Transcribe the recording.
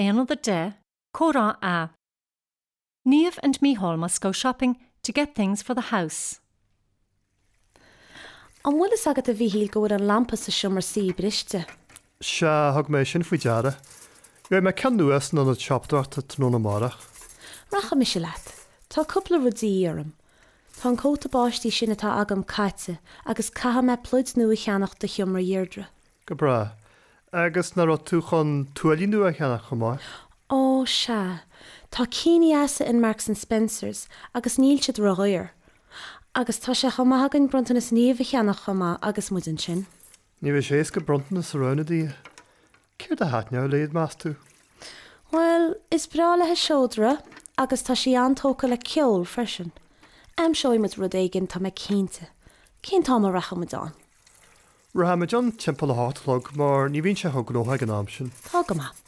Aonad 10, Comhrá A. Niamh and Mícheál must go shopping to get things for the house. An bhfuil fhios agat a Mhíchíl go bhfuil an lampa sa seomra suí briste? Sea, thug mé sin faoi deara. Gheobhaidh mé ceann nua san ionad siopadóireachta tráthnóna amárach. Rachaidh mise leat. Tá cúpla rud de dhíth orm. Tá an cóta báistí sin atá agam caite agus caithfidh mé pluid nua a cheannach do sheomra Dheirdre. Go breá. Agus nach raibh tú chun tuáillí nua a cheannach chomh maith? Ó, sea. Tá cinn dheasa in Marks and Spencers agus níl siad ródhaor. Agus tá sé chomh maith againn bronntanas Niamh a cheannach chomh maith agus muid ansin. Ní bheidh sé éasca bronntanas a roghnú di. Céard a thaitneodh léi, meas tú? Bhuel, is breá léi seodra agus tá sí an-tógtha le ceol freisin. Aimseoidh muid rud éigin, tá mé cinnte. Cén t-am a rachaidh muid ann? Rachaimid ann timpeall a hocht a chlog mar ní bhíonn sé chomh gnóthach ag an am sin. Tá go maith.